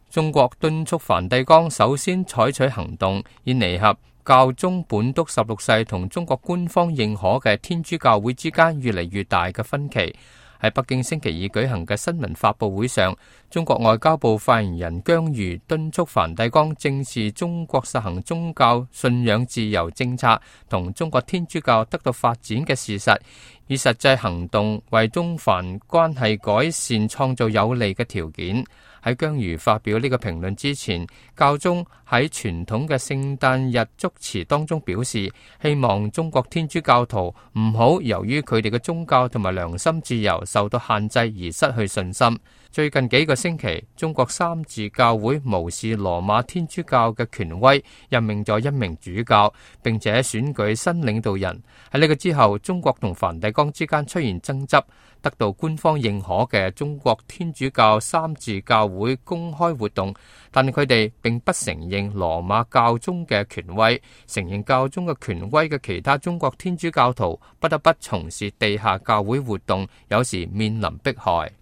中國敦促梵蒂岡首先採取行動，以彌合教宗本篤16世同中國官方認可嘅天主教會之間越嚟越大嘅分歧。喺北京星期二舉行嘅新聞發佈會上，中國外交部發言人姜瑜敦促梵蒂岡正視中國實行宗教信仰自由政策同中國天主教得到發展嘅事實，以實際行動為中梵關係改善創造有利嘅條件。喺姜瑜發表呢個評論之前，教宗喺傳統嘅聖誕日祝詞當中表示，希望中國天主教徒唔好由於佢哋嘅宗教同埋良心自由受到限制而失去信心。最近幾個星期，中國三自教會無視羅馬天主教嘅權威，任命咗一名主教，並且選舉新領導人。喺呢個之後，中國同梵蒂岡之間出現爭執。得到官方認可嘅中國天主教三自教會公開活動，但佢哋並不承認羅馬教宗嘅權威，承認教宗嘅權威嘅其他中國天主教徒不得不從事地下教會活動，有時面臨迫害。